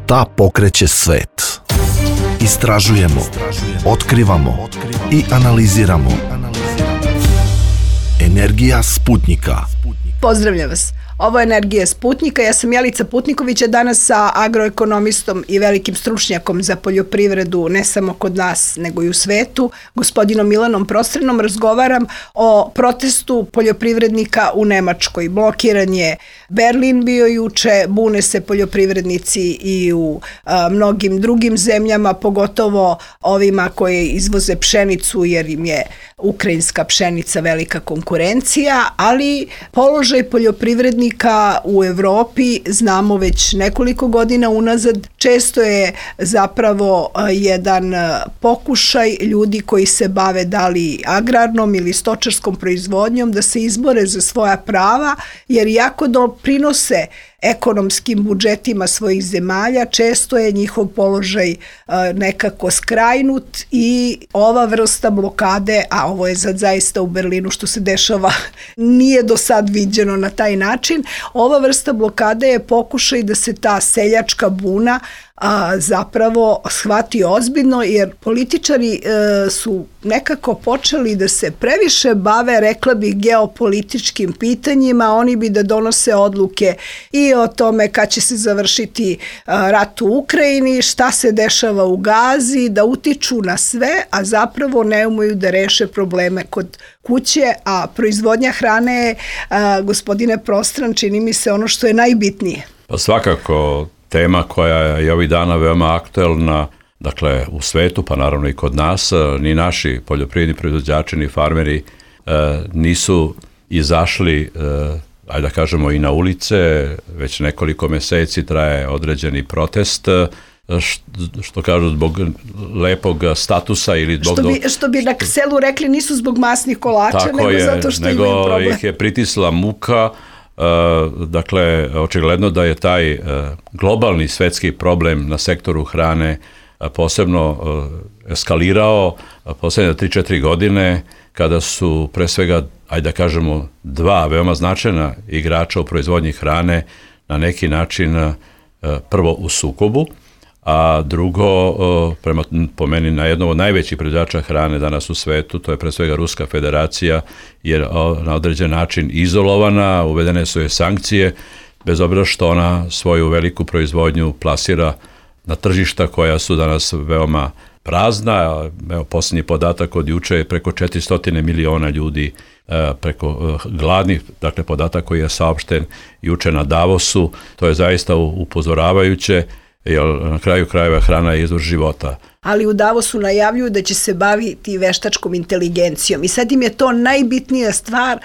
Šta pokreće svet? Istražujemo, otkrivamo i analiziramo. Energija Sputnjika. Pozdravljam vas. Ovo je Energija Sputnjika. Ja sam Jelica Putniković, a danas sa agroekonomistom i velikim stručnjakom za poljoprivredu, ne samo kod nas, nego i u svetu, gospodinom Milanom Prostranom, razgovaram o protestu poljoprivrednika u Nemačkoj. Blokiran je Berlin bio juče, bune se poljoprivrednici i u mnogim drugim zemljama, pogotovo ovima koje izvoze pšenicu, jer im je ukrajinska pšenica velika konkurencija, ali položaj poljoprivrednika u Evropi znamo već nekoliko godina unazad. Često je zapravo jedan pokušaj ljudi koji se bave da li agrarnom ili stočarskom proizvodnjom da se izbore za svoja prava, jer jako doprinose ekonomskim budžetima svojih zemalja, često je njihov položaj nekako skrajnut i ova vrsta blokade, a ovo je sad zaista u Berlinu što se dešava, nije do sad viđeno na taj način. Ova vrsta blokade je pokušaj da se ta seljačka buna zapravo shvati ozbiljno, jer političari su nekako počeli da se previše bave, rekla bih, geopolitičkim pitanjima. Oni bi da donose odluke i o tome kad će se završiti rat u Ukrajini, šta se dešava u Gazi, da utiču na sve, a zapravo ne umeju da reše probleme kod kuće, a proizvodnja hrane je, gospodine Prostran, čini mi se ono što je najbitnije. Pa svakako tema koja je ovih dana veoma aktuelna, dakle u svetu, pa naravno i kod nas, ni naši poljoprivredni proizvođači, ni farmeri nisu izašli, ajde da kažemo, i na ulice. Već nekoliko meseci traje određeni protest, što kažu zbog lepog statusa ili zbog... Što bi na selu rekli, nisu zbog masnih kolača, nego zato što imaju problem. Nego ih je pritisla muka. Dakle, očigledno da je taj globalni svetski problem na sektoru hrane posebno eskalirao poslednje 3-4 godine, kada su pre svega, ajde da kažemo, dva veoma značajna igrača u proizvodnji hrane na neki način prvo u sukobu, a drugo, po meni, na jednom od najvećih proizvođača hrane danas u svetu, to je pre svega Ruska federacija, jer na određen način izolovana, uvedene su joj sankcije, bez obzira što ona svoju veliku proizvodnju plasira na tržišta koja su danas veoma prazna. Evo, posljednji podatak od juče je preko 400 miliona ljudi preko gladnih, dakle podatak koji je saopšten juče na Davosu. To je zaista upozoravajuće, jer na kraju krajeva hrana je izvor života. Ali u Davosu najavljuju da će se baviti veštačkom inteligencijom i sad im je to najbitnija stvar,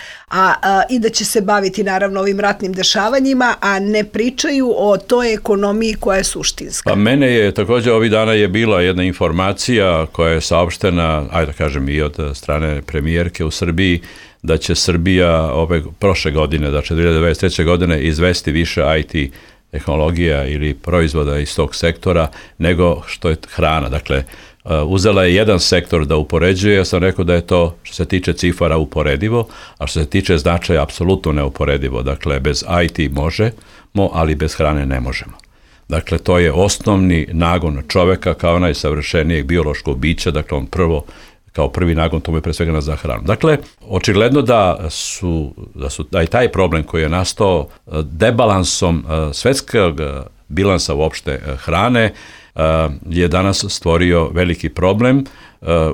i da će se baviti naravno ovim ratnim dešavanjima, a ne pričaju o toj ekonomiji koja je suštinska. Pa mene je također ovih dana je bila jedna informacija koja je saopštena, ajde da kažem, i od strane premijerke u Srbiji, da će Srbija prošle godine, znači 2023. godine, izvesti više IT tehnologija ili proizvoda iz tog sektora nego što je hrana. Dakle, uzela je jedan sektor da upoređuje, ja sam rekao da je to što se tiče cifara uporedivo, a što se tiče značaja apsolutno neuporedivo. Dakle, bez IT možemo, ali bez hrane ne možemo. Dakle, to je osnovni nagon čoveka kao najsavršenijeg biološkog bića, dakle on kao prvi nagon tomu je pre svega za hranu. Dakle, očigledno da je taj problem koji je nastao debalansom svetskog bilansa uopšte hrane je danas stvorio veliki problem.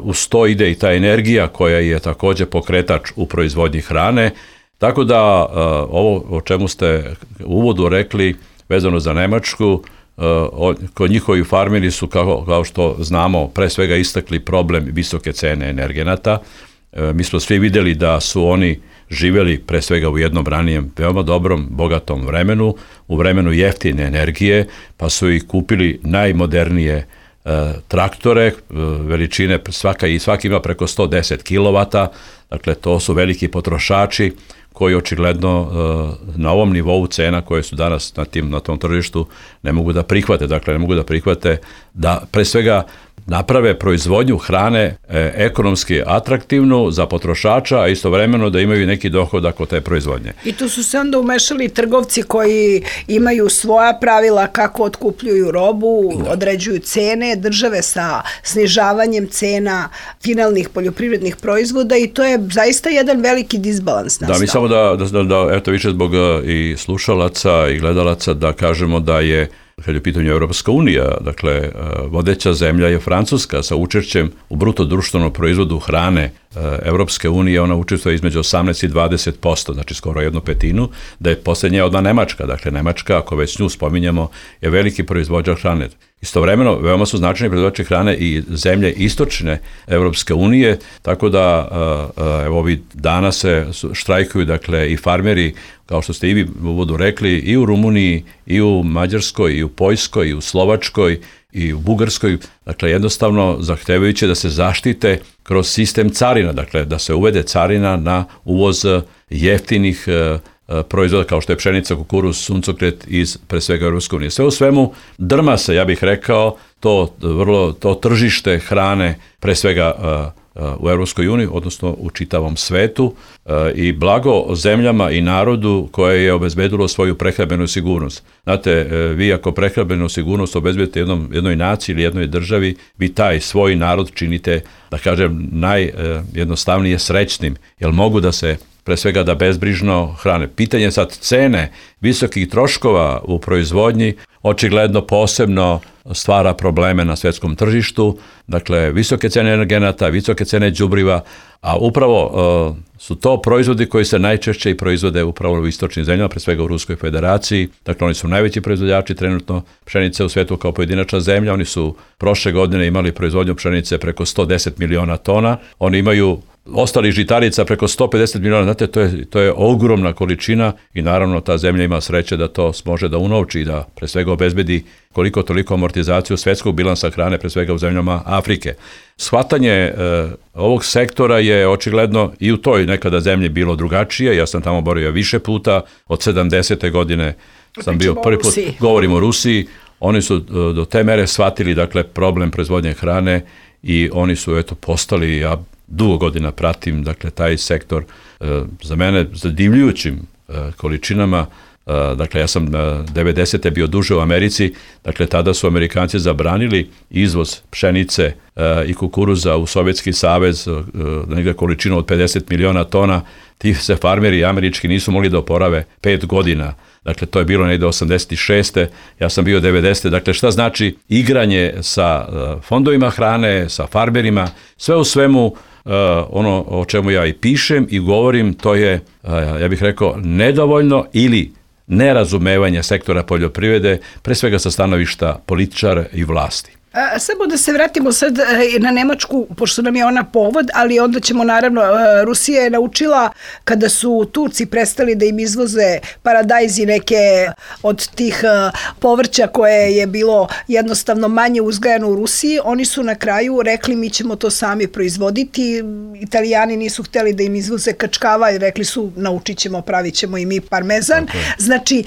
Uz to ide i ta energija koja je također pokretač u proizvodnji hrane. Tako da ovo o čemu ste u uvodu rekli vezano za Nemačku, kod njihovi farmeri su, kao što znamo, pre svega istakli problem visoke cene energenata. Mi smo svi vidjeli da su oni živjeli pre svega u jednom ranijem veoma dobrom, bogatom vremenu, u vremenu jeftine energije, pa su i kupili najmodernije traktore, veličine, svaki ima preko 110 kW, dakle to su veliki potrošači koji očigledno na ovom nivou cena koje su danas na tom tržištu ne mogu da prihvate. Dakle, ne mogu da prihvate da pre svega naprave proizvodnju hrane ekonomski atraktivnu za potrošača, a istovremeno da imaju neki dohodak od te proizvodnje. I tu su se onda umešali trgovci koji imaju svoja pravila kako otkupljuju robu, određuju cene, države sa snižavanjem cena finalnih poljoprivrednih proizvoda i to je zaista jedan veliki disbalans nastao. Da, mi samo da eto više zbog i slušalaca i gledalaca da kažemo da je kad je u pitanju Evropska unija, dakle, vodeća zemlja je Francuska sa učešćem u bruto društvenom proizvodu hrane Evropske unije, ona učestvuje između 18 i 20%, znači skoro 1/5, da je posljednja odmah Nemačka. Dakle, Nemačka, ako već nju spominjamo, je veliki proizvođač hrane. Istovremeno, veoma su značajni proizvođači hrane i zemlje istočne Evropske unije, tako da evo ovih dana se štrajkuju, dakle, i farmeri, kao što ste i vi u uvodu rekli, i u Rumuniji, i u Mađarskoj, i u Poljskoj, i u Slovačkoj, i u Bugarskoj, dakle jednostavno zahtevajući da se zaštite kroz sistem carina, dakle da se uvede carina na uvoz jeftinih proizvoda kao što je pšenica, kukuruz, suncokret iz pre svega Europske unije. Sve u svemu drma se, ja bih rekao, to tržište hrane pre svega u Europskoj uniji, odnosno u čitavom svetu i blago zemljama i narodu koje je obezbedilo svoju prehrambenu sigurnost. Znate, vi ako prehrambenu sigurnost obezbedite jednoj naciji ili jednoj državi, vi taj svoj narod činite, da kažem, najjednostavnije srećnim, jer mogu da se pre svega da bezbrižno hrane. Pitanje sad cene visokih troškova u proizvodnji očigledno posebno stvara probleme na svjetskom tržištu, dakle visoke cene energenata, visoke cene đubriva, a upravo su to proizvodi koji se najčešće i proizvode upravo u istočnim zemljama, pre svega u Ruskoj federaciji, dakle oni su najveći proizvođači trenutno pšenice u svijetu kao pojedinačna zemlja, oni su prošle godine imali proizvodnju pšenice preko 110 miliona tona, oni imaju ostalih žitarica preko 150 miliona, znate, to je ogromna količina i naravno ta zemlja ima sreće da to može da unovči i da pre svega obezbedi koliko toliko amortizaciju svjetskog bilansa hrane, pre svega u zemljama Afrike. Shvatanje ovog sektora je očigledno i u toj nekada zemlji bilo drugačije, ja sam tamo borio više puta, od 70. godine sam bio prvi put, govorim o Rusiji, oni su do te mere shvatili, dakle, problem proizvodnje hrane i oni su, eto, postali, ja dugo godina pratim, dakle, taj sektor za mene zadivljujućim količinama. Dakle, ja sam 90. bio duže u Americi, dakle, tada su Amerikanci zabranili izvoz pšenice i kukuruza u Sovjetski savez, negdje količinu od 50 miliona tona, ti se farmeri američki nisu mogli da oporave 5 godina. Dakle, to je bilo negdje 86. Ja sam bio 90. Dakle, šta znači igranje sa fondovima hrane, sa farmerima, sve u svemu ono o čemu ja i pišem i govorim, to je, ja bih rekao, nedovoljno ili nerazumevanje sektora poljoprivrede, pre svega sa stanovišta političara i vlasti. Samo da se vratimo sad na Nemačku, pošto nam je ona povod, ali onda ćemo naravno, Rusija je naučila kada su Turci prestali da im izvoze paradajz i neke od tih povrća koje je bilo jednostavno manje uzgajano u Rusiji, oni su na kraju rekli mi ćemo to sami proizvoditi, Italijani nisu htjeli da im izvoze kačkava i rekli su naučit ćemo, pravit ćemo i mi parmezan, znači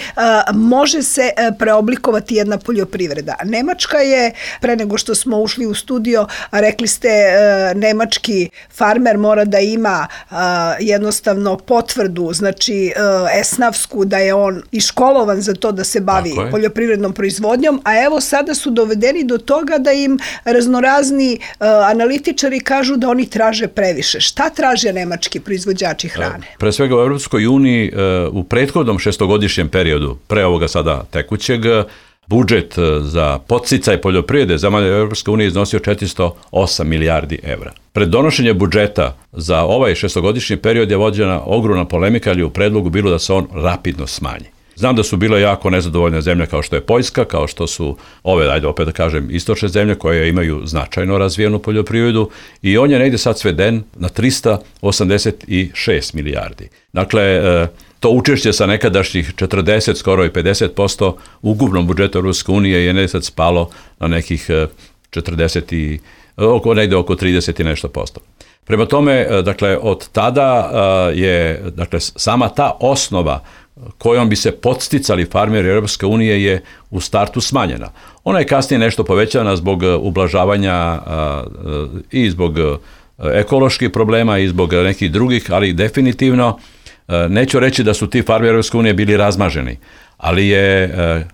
može se preoblikovati jedna poljoprivreda. Nemačka je pre nego što smo ušli u studio, rekli ste nemački farmer mora da ima jednostavno potvrdu, znači esnafsku, da je on iškolovan za to da se bavi poljoprivrednom proizvodnjom, a evo sada su dovedeni do toga da im raznorazni analitičari kažu da oni traže previše. Šta traže nemački proizvođači hrane? Pre svega u Europskoj uniji u prethodnom šestogodišnjem periodu, pre ovoga sada tekućeg, budžet za podsticaj poljoprivrede zemalja Europske unije iznosio 408 milijardi evra. Pred donošenje budžeta za ovaj šestogodišnji period je vođena ogromna polemika, ali u predlogu bilo da se on rapidno smanji. Znam da su bile jako nezadovoljne zemlje kao što je Poljska, kao što su ove, ajde opet da kažem, istočne zemlje koje imaju značajno razvijenu poljoprivredu i on je negdje sad sveden na 386 milijardi. Dakle, to učešće sa nekadašnjih 40, skoro i 50% u ukupnom budžetu Europske unije je negdje sad spalo na nekih 40 i negdje oko 30 i nešto posto. Prema tome, dakle, od tada je, dakle, sama ta osnova kojom bi se podsticali farmeri Europske unije je u startu smanjena. Ona je kasnije nešto povećana zbog ublažavanja i zbog ekoloških problema i zbog nekih drugih, ali definitivno neću reći da su ti farmeri Europske unije bili razmaženi, ali je,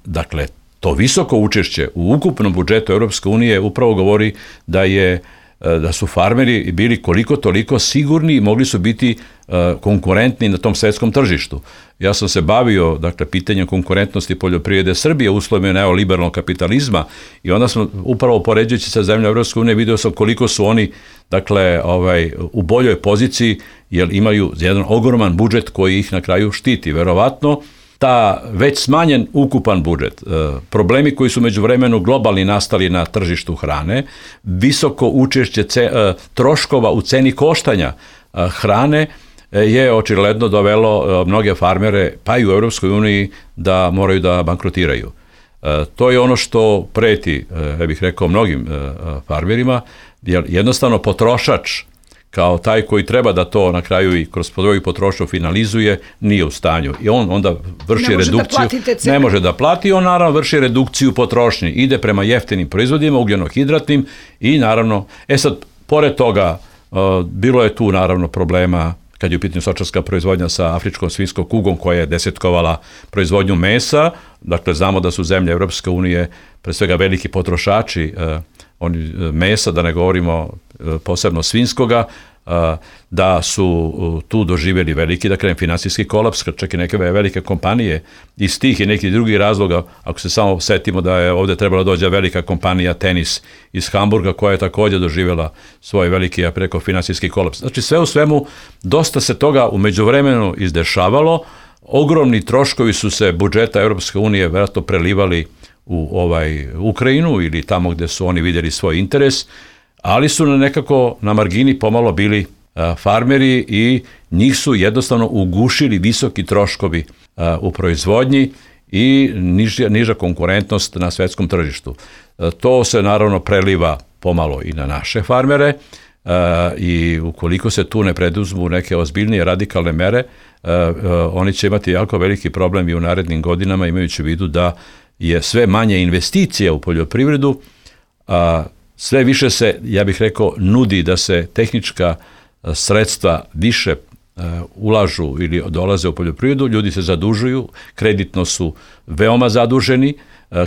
dakle, to visoko učešće u ukupnom budžetu Europske unije upravo govori da su farmeri bili koliko toliko sigurni i mogli su biti konkurentni na tom svetskom tržištu. Ja sam se bavio, dakle, pitanjem konkurentnosti poljoprivrede Srbije u uslovima neoliberalnog kapitalizma i onda smo upravo poređujući sa zemljom Evropske unije vidio sam koliko su oni, dakle, u boljoj poziciji jer imaju jedan ogroman budžet koji ih na kraju štiti. Verovatno ta već smanjen ukupan budžet, problemi koji su međuvremenu globalni nastali na tržištu hrane, visoko učešće troškova u ceni koštanja hrane je očigledno dovelo mnoge farmere, pa i u Europskoj uniji, da moraju da bankrotiraju. To je ono što preti, ja bih rekao, mnogim farmerima, jer jednostavno potrošač kao taj koji treba da to na kraju i kroz svoju potrošnju finalizuje, nije u stanju. I on onda vrši redukciju. Ne može da plati, on naravno vrši redukciju potrošnje. Ide prema jeftinim proizvodima, ugljenohidratnim i naravno, sad, pored toga, bilo je tu naravno problema kad je u pitanju stočarska proizvodnja sa afričkom svinjskom kugom koja je desetkovala proizvodnju mesa. Dakle, znamo da su zemlje Europske unije pre svega veliki potrošači mesa, da ne govorimo posebno svinjskoga, da su tu doživjeli veliki, dakle, finansijski kolaps, čak i neke velike kompanije iz tih i nekih drugih razloga. Ako se samo setimo da je ovdje trebala dođe velika kompanija Tenis iz Hamburga koja je također doživjela svoj veliki, ja preko, finansijski kolaps. Znači, sve u svemu, dosta se toga u međuvremenu izdešavalo. Ogromni troškovi su se budžeta Europske unije vjerojatno prelivali u Ukrajinu ili tamo gdje su oni vidjeli svoj interes, ali su nekako na margini pomalo bili farmeri i njih su jednostavno ugušili visoki troškovi u proizvodnji i niža konkurentnost na svetskom tržištu. To se naravno preliva pomalo i na naše farmere i ukoliko se tu ne preduzmu neke ozbiljnije radikalne mere, oni će imati jako veliki problem i u narednim godinama, imajući u vidu da je sve manje investicija u poljoprivredu, sve više se, ja bih rekao, nudi da se tehnička sredstva više ulažu ili dolaze u poljoprivredu, ljudi se zadužuju, kreditno su veoma zaduženi,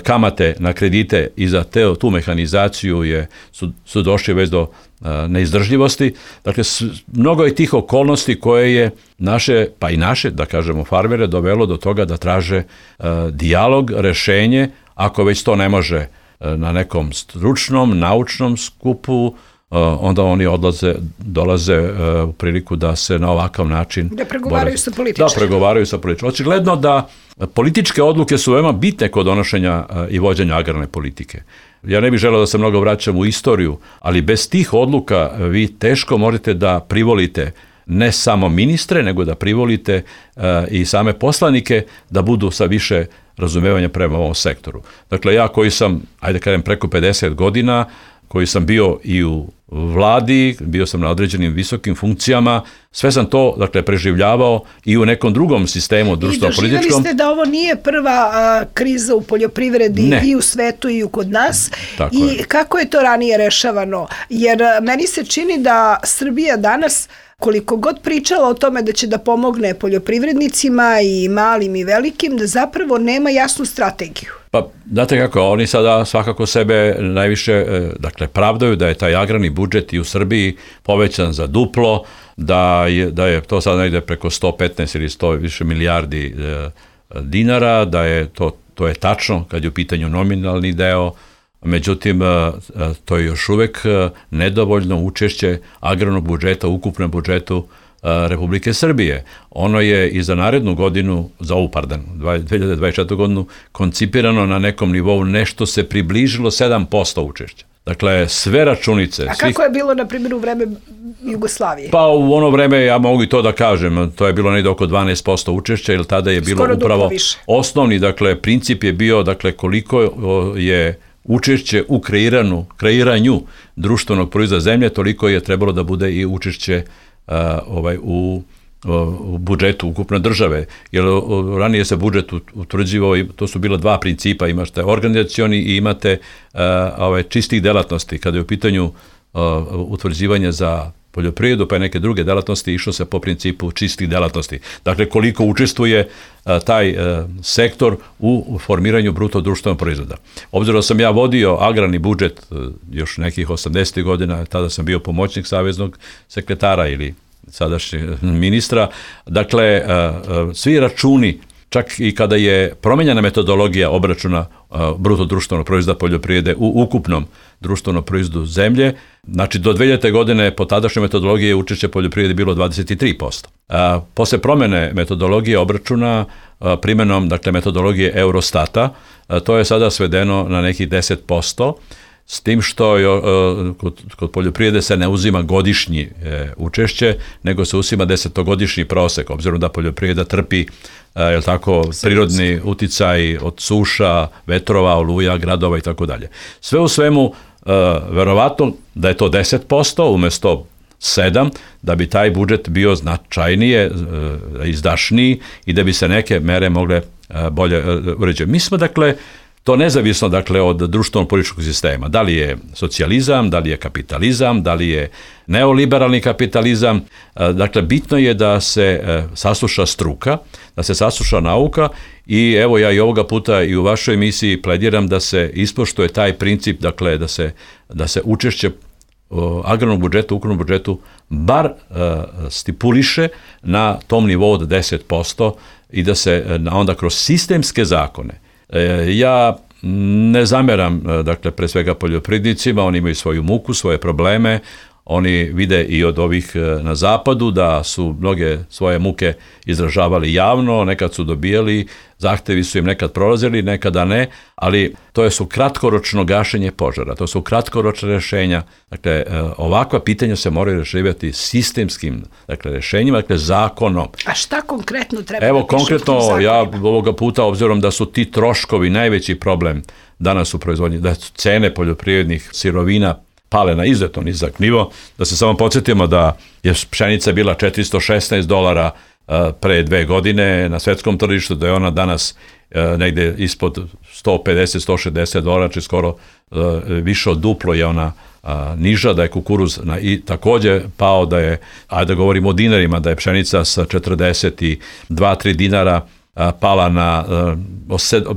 kamate na kredite i za tu mehanizaciju su došli već do neizdržljivosti. Dakle, mnogo je tih okolnosti koje je naše, pa i naše, da kažemo, farmere dovelo do toga da traže dijalog, rešenje, ako već to ne može na nekom stručnom, naučnom skupu, onda oni dolaze u priliku da se na ovakav način da pregovaraju sa političarima. Da pregovaraju sa političarima. Očigledno da političke odluke su veoma bitne kod donošenja i vođenja agrarne politike. Ja ne bih želeo da se mnogo vraćam u istoriju, ali bez tih odluka vi teško možete da privolite ne samo ministre, nego da privolite i same poslanike da budu sa više razumevanja prema ovom sektoru. Dakle, ja koji sam, ajde kažem, preko 50 godina, koji sam bio i u vladi, bio sam na određenim visokim funkcijama, sve sam to, dakle, preživljavao i u nekom drugom sistemu društveno-političkom. I doživjeli ste da ovo nije prva kriza u poljoprivredi i u svetu i kod nas. Tako i je. Kako je to ranije rešavano? Jer meni se čini da Srbija danas, koliko god pričala o tome da će da pomogne poljoprivrednicima i malim i velikim, da zapravo nema jasnu strategiju. Pa, znate kako, oni sada svakako sebe najviše, dakle, pravdaju da je taj agrarni budžet i u Srbiji povećan za duplo, da je to sad negde preko 115 ili 100 više milijardi dinara, da je to je tačno kad je u pitanju nominalni deo. Međutim, to je još uvek nedovoljno učešće agrarnog budžeta u ukupnom budžetu Republike Srbije. Ono je i za narednu godinu, za ovu, 2024. godinu, koncipirano na nekom nivou, nešto se približilo 7% učešća. Dakle, sve računice... A kako je bilo, na primjer, u vreme Jugoslavije? Pa u ono vreme, ja mogu i to da kažem, to je bilo negdje oko 12% učešća, jer tada je bilo skoro upravo više. Osnovni, dakle, princip je bio, dakle, koliko je učešće u kreiranju društvenog proizvoda zemlje, toliko je trebalo da bude i učešće u budžetu ukupne države. Jer ranije se budžet utvrđivao, to su bila dva principa, imate organizacioni i imate čistih delatnosti. Kada je u pitanju utvrđivanje za poljoprivredu pa i neke druge delatnosti, išlo se po principu čistih delatnosti. Dakle, koliko učestvuje taj sektor u formiranju bruto društvenog proizvoda. Obzirom da sam ja vodio agrarni budžet još nekih 80. godina, tada sam bio pomoćnik saveznog sekretara ili sadašnjeg ministra, dakle, svi računi, čak i kada je promenjena metodologija obračuna bruto društvenog proizvoda poljoprivrede u ukupnom društvenom proizvodu zemlje, znači do 2000. godine po tadašnjoj metodologiji je učešće poljoprivrede bilo 23%. Posle promene metodologije obračuna primenom, dakle, metodologije Eurostata, to je sada svedeno na nekih 10%, s tim što kod poljoprivrede se ne uzima godišnji učešće, nego se uzima 10-godišnji prosek, obzirom da poljoprivreda trpi prirodni uticaj od suša, vetrova, oluja, gradova i tako dalje. Sve u svemu, verovatno da je to 10% umesto 7%, da bi taj budžet bio značajnije, izdašniji i da bi se neke mere mogle bolje uređati. Mi smo, dakle, to nezavisno, dakle, od društvenog političkog sistema. Da li je socijalizam, da li je kapitalizam, da li je neoliberalni kapitalizam. Dakle, bitno je da se sasluša struka, da se sasluša nauka i evo ja i ovoga puta i u vašoj emisiji plediram da se ispoštuje taj princip, dakle, da se učešće agrarnog budžeta, ukupnom budžetu, bar stipuliše na tom nivou od 10% i da se onda kroz sistemske zakone. Ja ne zameram, dakle, pre svega poljoprivrednicima, oni imaju svoju muku, svoje probleme, oni vide i od ovih na zapadu da su mnoge svoje muke izražavali javno, nekad su dobijali, zahtevi su im nekad prolazili, nekada ne, ali to su kratkoročno gašenje požara, to su kratkoročne rešenja. Dakle, ovakva pitanja se moraju rešavati sistemskim, dakle, rešenjima, dakle, zakonom. A šta konkretno treba? Evo, konkretno, ja ovoga puta, obzirom da su ti troškovi najveći problem danas u proizvodnji, da su cene poljoprivrednih sirovina pale na izuzetno nizak nivo, da se samo podsjetimo da je pšenica bila $416 pre 2 godine na svetskom tržištu, da je ona danas negde ispod $150-160, znači skoro više od duplo je ona niža, da je kukuruz i takođe pao, da je, ajde da govorimo o dinarima, da je pšenica sa 42-3 dinara pala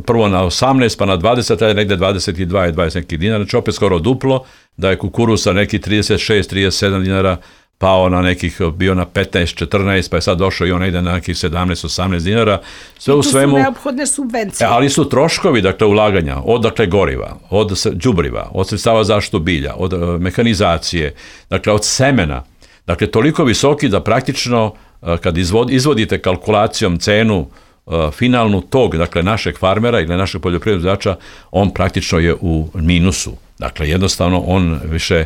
prvo na 18, pa na 20, ali negde 22 i 20 nekih dinara, znači opet skoro duplo, da je kukuruz sa nekih 36-37 dinara pao na nekih, bio na 15-14, pa je sad došao i on negde na nekih 17-18 dinara. Sve u svemu, su neophodne subvencije. Ali su troškovi, dakle, ulaganja, od, dakle, goriva, od đubriva, od sredstava zaštitu bilja, od mehanizacije, dakle, od semena, dakle, toliko visoki da praktično kad izvodite kalkulacijom cenu finalnu tog, dakle, našeg farmera ili našeg poljoprivrednog proizvođača, on praktično je u minusu. Dakle, jednostavno on više...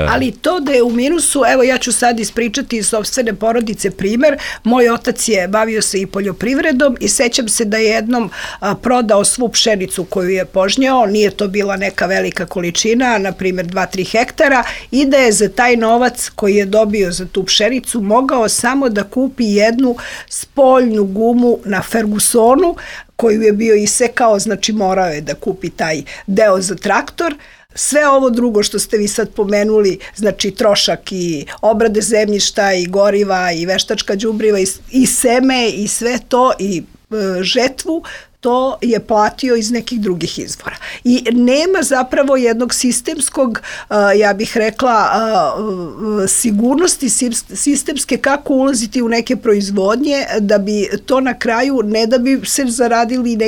Ali to da je u minusu, evo ja ću sad ispričati iz sopstvene porodice primer. Moj otac je bavio se i poljoprivredom i sećam se da je jednom prodao svu pšenicu koju je požnjao, nije to bila neka velika količina, na primjer 2-3 hektara, i da je za taj novac koji je dobio za tu pšenicu mogao samo da kupi jednu spoljnu gumu na Fergusonu, koju je bio isekao, znači morao je da kupi taj deo za traktor. Sve ovo drugo što ste vi sad pomenuli, znači trošak i obrade zemljišta i goriva i veštačka đubriva i seme i sve to i žetvu, to je platio iz nekih drugih izvora. I nema zapravo jednog sistemskog, ja bih rekla, sigurnosti sistemske kako ulaziti u neke proizvodnje, da bi to na kraju, ne da bi se zaradili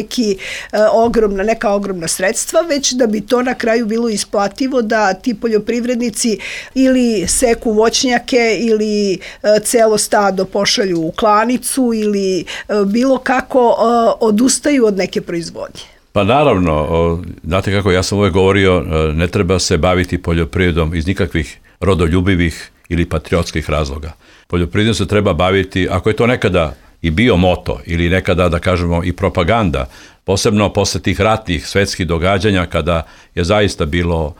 neka ogromna sredstva, već da bi to na kraju bilo isplativo da ti poljoprivrednici ili seku voćnjake ili celo stado pošalju u klanicu ili bilo kako odustaju od neke proizvodnje. Pa naravno, znate kako, ja sam uvek govorio, ne treba se baviti poljoprivredom iz nikakvih rodoljubivih ili patriotskih razloga. Poljoprivredom se treba baviti, ako je to nekada i bio moto ili nekada da kažemo i propaganda, posebno posle tih ratnih svetskih događanja kada je zaista bilo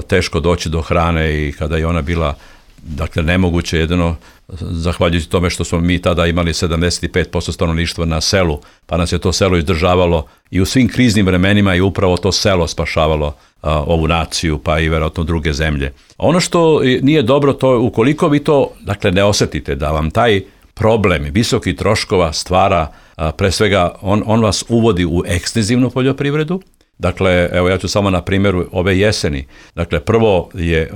teško doći do hrane i kada je ona bila nemoguće, jedino zahvaljujući tome što smo mi tada imali 75% stanovništva na selu, pa nas je to selo izdržavalo i u svim kriznim vremenima i upravo to selo spašavalo ovu naciju, pa i verovatno druge zemlje. Ono što nije dobro, to je ukoliko vi to ne osetite, da vam taj problem visokih troškova stvara, pre svega on vas uvodi u ekstenzivnu poljoprivredu. Dakle, evo ja ću samo na primjeru ove jeseni. Dakle, prvo je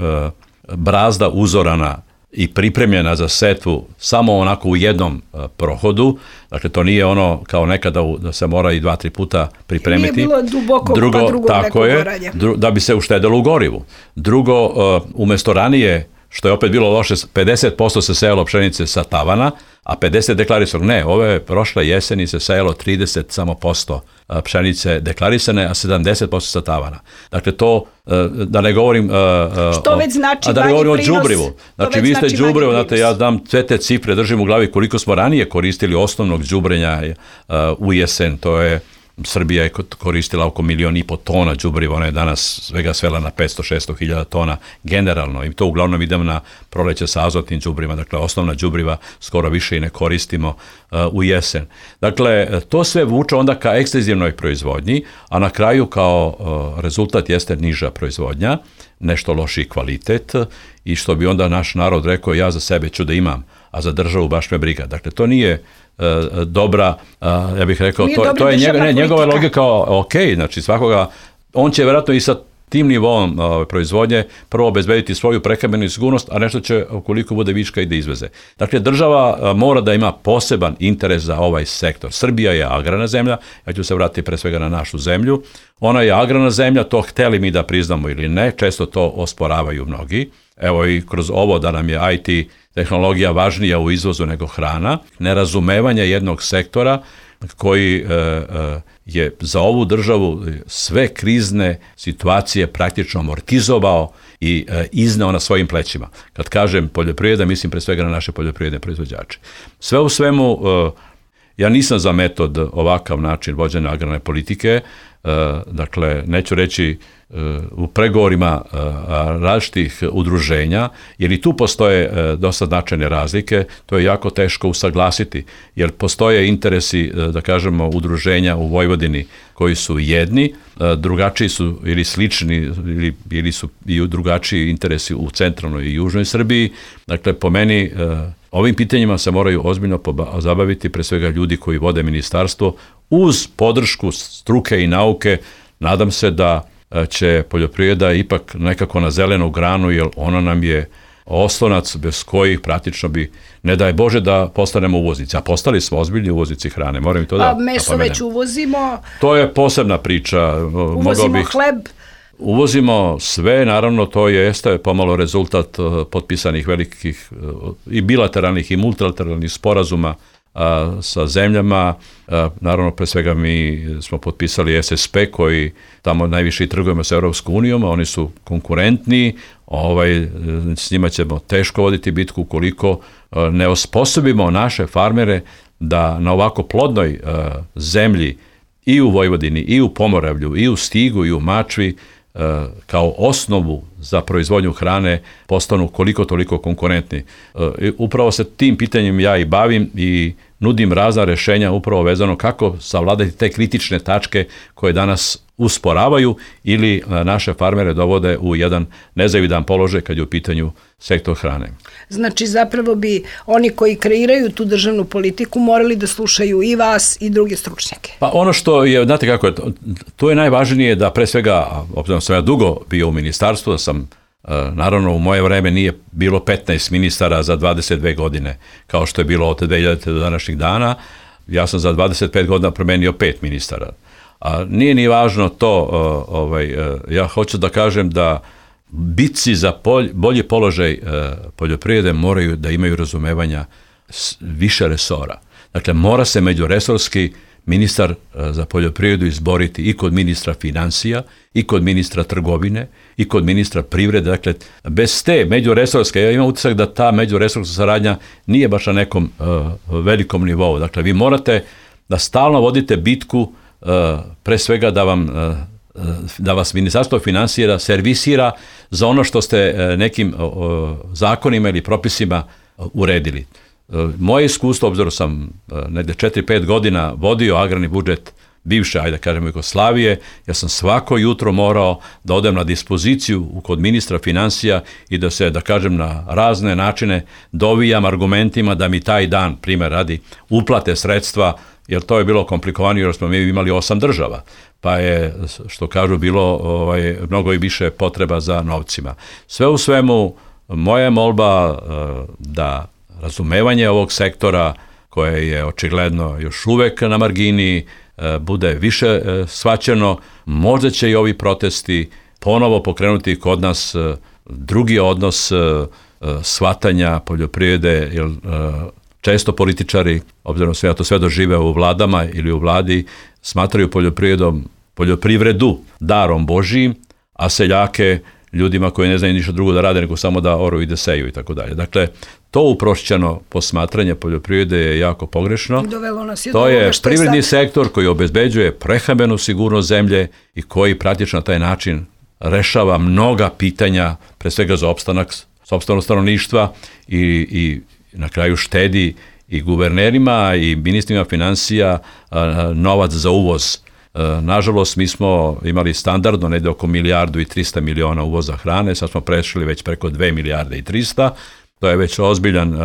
brazda uzorana i pripremljena za setvu samo onako u jednom prohodu. Dakle, to nije ono kao nekada da se mora i 2-3 puta pripremiti. Nije bilo duboko pa drugo neko goranje. Da bi se uštedelo u gorivu. Drugo, umjesto ranije, što je opet bilo loše, 50% se sejalo pšenice sa tavana, a 50% deklarisano. Ne, ove prošle jeseni se sejalo 30% samo pšenice deklarisane, a 70% sa tavana. Dakle, to, da ne govorim... Što već znači da ne govorim o đubrivu. Znači, vi ste đubrivo, znate, ja znam sve te cifre, držim u glavi koliko smo ranije koristili osnovnog đubrenja u jesen, to je Srbija je koristila oko 1,5 miliona tona đubriva, ona je danas svega svela na 500-600 hiljada tona generalno i to uglavnom idemo na proleće sa azotnim đubrima, dakle osnovna đubriva skoro više i ne koristimo u jesen. Dakle, to sve vuče onda ka ekstenzivnoj proizvodnji, a na kraju kao rezultat jeste niža proizvodnja, nešto lošiji kvalitet i što bi onda naš narod rekao, ja za sebe ću da imam, a za državu baš me briga. Dakle, to nije dobra, ja bih rekao, to je njegova logika, ok, znači svakoga, on će vjerojatno i sa tim nivom proizvodnje prvo obezbediti svoju prehrambenu sigurnost, a nešto će, ukoliko bude viška, i da izveze. Dakle, država mora da ima poseban interes za ovaj sektor. Srbija je agrarna zemlja, ja ću se vratiti pre svega na našu zemlju. Ona je agrarna zemlja, to hteli mi da priznamo ili ne, često to osporavaju mnogi. Evo i kroz ovo da nam je IT tehnologija važnija u izvozu nego hrana, nerazumevanje jednog sektora koji je za ovu državu sve krizne situacije praktično amortizovao i izneo na svojim plećima. Kad kažem poljoprivreda, mislim pre svega na naše poljoprivredne proizvođače. Sve u svemu, ja nisam za metod ovakav način vođenja agrarne politike, dakle, neću reći u pregovorima različitih udruženja, jer i tu postoje dosta značajne razlike, to je jako teško usaglasiti, jer postoje interesi, da kažemo, udruženja u Vojvodini koji su jedni, drugačiji su ili slični, ili su i drugačiji interesi u centralnoj i južnoj Srbiji. Dakle, po meni, ovim pitanjima se moraju ozbiljno zabaviti, pre svega ljudi koji vode ministarstvo, uz podršku struke i nauke. Nadam se da će poljoprivreda ipak nekako na zelenu granu, jer ona nam je oslonac bez kojih praktično bi, ne daj Bože, da postanemo uvoznici. A postali smo ozbiljni uvoznici hrane. Moram i to da napomenem. Meso već uvozimo. To je posebna priča. Uvozimo hleb. Uvozimo sve, naravno to jeste pomalo rezultat potpisanih velikih i bilateralnih i multilateralnih sporazuma sa zemljama. Naravno, pre svega mi smo potpisali SSP koji tamo najviše i trgujemo sa Europskom unijom, a oni su konkurentni, s njima ćemo teško voditi bitku ukoliko ne osposobimo naše farmere da na ovako plodnoj zemlji i u Vojvodini, i u Pomoravlju, i u Stigu, i u Mačvi, kao osnovu za proizvodnju hrane postanu koliko toliko konkurentni. Upravo se tim pitanjem ja i bavim i nudim razna rešenja upravo vezano kako savladati te kritične tačke koje danas usporavaju ili naše farmere dovode u jedan nezavidan položaj kad je u pitanju sektor hrane. Znači, zapravo bi oni koji kreiraju tu državnu politiku morali da slušaju i vas i druge stručnjake. Pa ono što je, znate kako je, to je najvažnije da pre svega, obzirom sam ja dugo bio u ministarstvu, da sam, naravno u moje vreme nije bilo 15 ministara za 22 godine, kao što je bilo od 2000 do današnjih dana, ja sam za 25 godina promenio 5 ministara. A nije ni važno to, ja hoću da kažem da bitci za bolji položaj poljoprivrede moraju da imaju razumevanja više resora. Dakle, mora se međuresorski ministar za poljoprivredu izboriti i kod ministra financija, i kod ministra trgovine, i kod ministra privrede. Dakle, bez te međuresorske, ja imam utisak da ta međuresorska saradnja nije baš na nekom velikom nivou. Dakle, vi morate da stalno vodite bitku, pre svega da vas Ministarstvo finansija servisira za ono što ste nekim zakonima ili propisima uredili. Moje iskustvo, obzirom sam negde 4-5 godina vodio agrarni budžet bivše, ajde kažemo, Jugoslavije, ja sam svako jutro morao da odem na dispoziciju kod ministra finansija i da se, da kažem, na razne načine dovijam argumentima da mi taj dan, primjer radi, uplate sredstva, jer to je bilo komplikovanije, jer smo mi imali 8 država, pa je, što kažu, bilo mnogo i više potreba za novcima. Sve u svemu, moja je molba da razumevanje ovog sektora, koje je očigledno još uvek na margini, bude više shvaćeno. Možda će i ovi protesti ponovo pokrenuti kod nas drugi odnos shvatanja poljoprivrede, jer često političari, obzirom sve, ja to sve dožive u vladama ili u vladi, smatraju poljoprivredu darom Božijim, a seljake ljudima koji ne znaju ništa drugo da rade nego samo da oru i da seju i tako dalje. Dakle, to uprošćeno posmatranje poljoprivrede je jako pogrešno. To je privredni sektor koji obezbeđuje prehrambenu sigurnost zemlje i koji praktično na taj način rešava mnoga pitanja, pre svega za opstanak sopstvenog stanovništva i na kraju štedi i guvernerima i ministrima finansija novac za uvoz. Nažalost, mi smo imali standardno negde oko 1,3 milijarde uvoza hrane, sad smo prešli već preko 2,3 milijarde. To je već ozbiljan...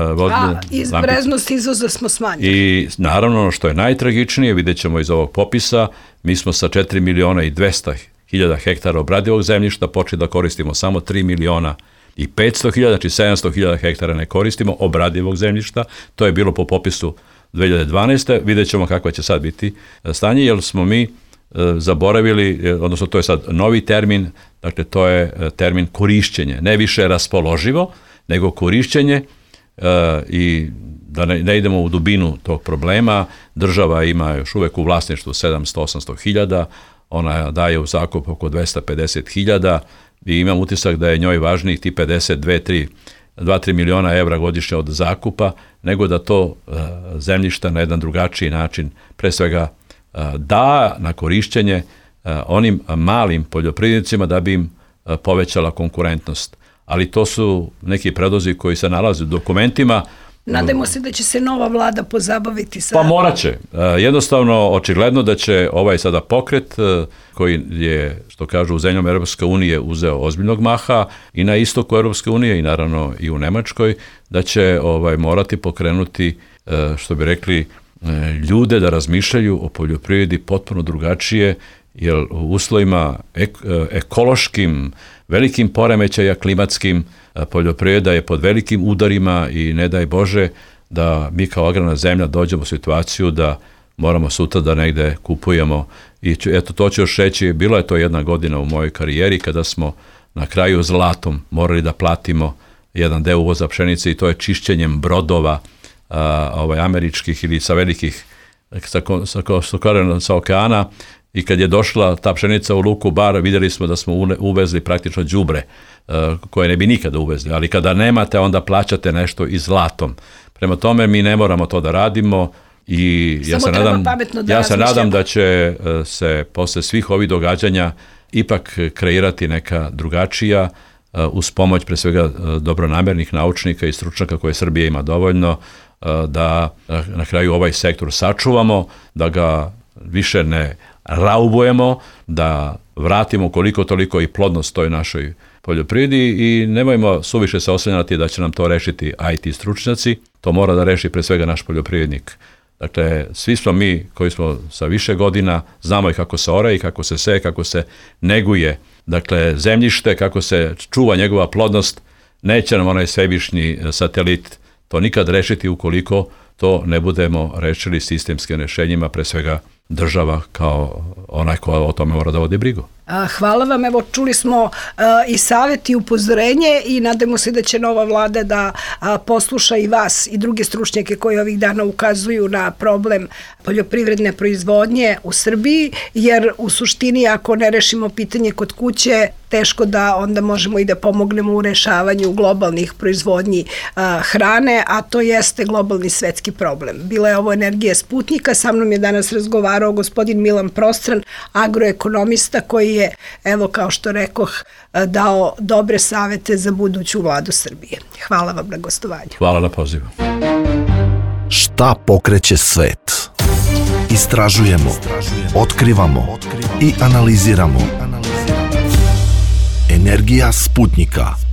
Izbreznost izvoza smo smanjili. I naravno, ono što je najtragičnije, vidjet ćemo iz ovog popisa, mi smo sa 4.200.000 hektara obradivog zemljišta počeli da koristimo samo 3.500.000, znači 700.000 hektara ne koristimo obradivog zemljišta. To je bilo po popisu 2012. Vidjet ćemo kakva će sad biti stanje, jer smo mi zaboravili, odnosno to je sad novi termin, dakle to je termin korišćenje, ne više raspoloživo, nego korišćenje i da ne idemo u dubinu tog problema. Država ima još uvek u vlasništvu 700-800.000, ona daje u zakup oko 250.000 i imam utisak da je njoj važnijih ti 2-3 miliona evra godišnje od zakupa, nego da to zemljišta na jedan drugačiji način, pre svega da na korišćenje onim malim poljoprivrednicima da bi im povećala konkurentnost. Ali to su neki predlozi koji se nalaze u dokumentima. Nadajmo se da će se nova vlada pozabaviti sa... Pa morat će. Jednostavno, očigledno da će ovaj sada pokret, koji je, što kažu, u zemljama Europske unije uzeo ozbiljnog maha i na istoku Europske unije i naravno i u Nemačkoj, da će morati pokrenuti, što bi rekli, ljude da razmišljaju o poljoprivredi potpuno drugačije, jer u uslovima ekološkim, velikim poremećaja klimatskim, poljoprivreda je pod velikim udarima i ne daj Bože da mi kao agrarna zemlja dođemo u situaciju da moramo sutra da negde kupujemo. I eto, to ću još reći, bila je to jedna godina u mojoj karijeri kada smo na kraju zlatom morali da platimo jedan deo uvoza pšenice i to je čišćenjem brodova američkih ili sa velikih, sa okeana. I kad je došla ta pšenica u luku Bar, vidjeli smo da smo uvezli praktično đubre koje ne bi nikada uvezli, ali kada nemate, onda plaćate nešto i zlatom. Prema tome, mi ne moramo to da radimo i ja se nadam da će se posle svih ovih događanja ipak kreirati neka drugačija, uz pomoć pre svega dobronamernih naučnika i stručnjaka koje Srbija ima dovoljno, da na kraju ovaj sektor sačuvamo, da ga više ne raubujemo, da vratimo koliko toliko i plodnost toj našoj poljoprivredi i nemojmo suviše se oslanjati da će nam to rešiti IT stručnjaci, to mora da reši pre svega naš poljoprivrednik. Dakle, svi smo mi koji smo sa više godina, znamo i kako se ore i kako se seje, kako se neguje, dakle, zemljište, kako se čuva njegova plodnost, neće nam onaj svevišnji satelit to nikad rešiti ukoliko to ne budemo rešili sistemskim rešenjima, pre svega država kao onaj ko o tome mora da vodi brigu. Hvala vam, evo čuli smo i savjet i upozorenje i nadamo se da će nova vlada da posluša i vas i druge stručnjake koji ovih dana ukazuju na problem poljoprivredne proizvodnje u Srbiji, jer u suštini ako ne rešimo pitanje kod kuće, teško da onda možemo i da pomognemo u rešavanju globalnih proizvodnji hrane, a to jeste globalni svetski problem. Bila je ovo Energija Sputnika, sa mnom je danas razgovarao gospodin Milan Prostran, agroekonomista koji je, evo kao što rekoh, dao dobre savete za buduću vladu Srbije. Hvala vam na gostovanju. Hvala na pozivu. Šta pokreće svet? Istražujemo, otkrivamo i analiziramo. Energija Sputnika.